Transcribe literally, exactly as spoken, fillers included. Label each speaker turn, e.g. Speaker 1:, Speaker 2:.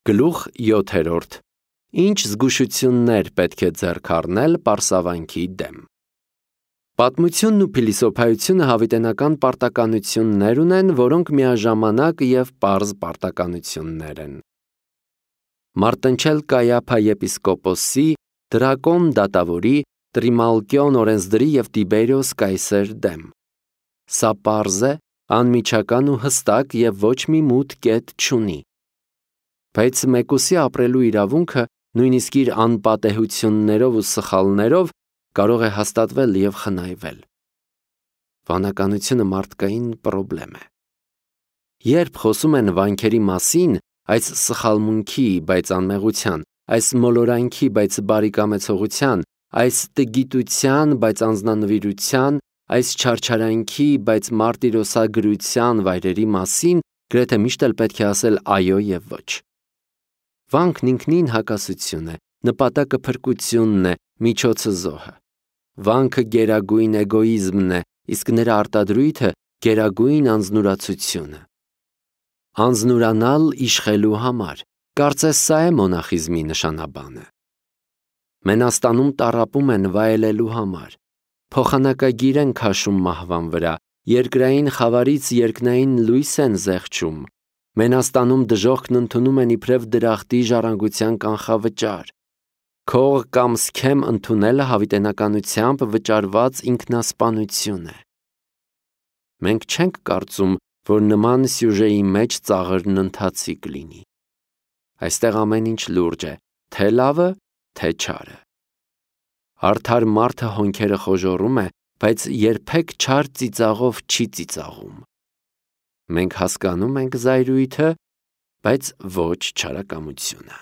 Speaker 1: Գլուխ յոթերորդ. Ինչ զգուշություններ պետք է ձեռք առնել պարսավանքի դեմ։ Պատմությունն ու փիլիսոփայությունը հավիտենական պարտականություններ ունեն, որոնք միաժամանակ և պարզ պարտականություններ են։ Մարտնչել Կայափա եպիսկոպոսի, Դրակոն դատավորի, Տրիմալկիոն օրենսդրի և Տիբերիոս կայսեր դեմ։ Սա պարզ է, անմիջական ու հստակ և ոչ մի մութ կետ չունի։ Բայց մեկուսի ապրելու իրավունքը, նույնիսկ իր անպատեհություններով ու սխալներով, կարող է հաստատվել և խնայվել։ Վանականությունը մարդկային պրոբլեմ է։ Երբ խոսում են վանքերի մասին, այս սխալմունքի, բայց անմեղության, այս մոլորանքի, բայց բարեկամեցողության, այս տգիտության, բայց անձնանվիրության, այս չարչարանքի, բայց մարտիրոսագրության վայրերի մասին, գրեթե միշտ էլ պետք է ասել այո և ոչ։ Վանքն ինքնին հակասություն է, նպատակը փրկությունն է, միջոցը զոհը։ Վանքը գերագույն էգոիզմն է, իսկ նրա արտադրույթը գերագույն անձնուրացությունը։ Անձնուրանալ իշխելու համար, կարծես սա է մոնախիզմի նշանաբանը։ Մենաստանում տառապում են վայելելու համար, փոխանակագիր են քաշում մահվան վրա, երկրային խավարից երկնային լույս են զեղչում, մենաստանում դժոխքն ընդունում են իբրև դրախտի ժառանգության կանխավճար։ Քող կամ սքեմ ընդունելը հավիտենականությամբ վճարված ինքնասպանություն է։ Մենք չենք կարծում, որ նման սյուժեի մեջ ծաղրն ընթացիկ լինի։ Այստեղ ամեն ինչ լուրջ է, թե լավը, թե չարը։ Արդար մարդը հոնքերը խոժոռում է, բայց երբեք չար ծիծաղով չի ծիծաղում։ Մենք հասկանում ենք զայրույթը, բայց ոչ չարակամությունը։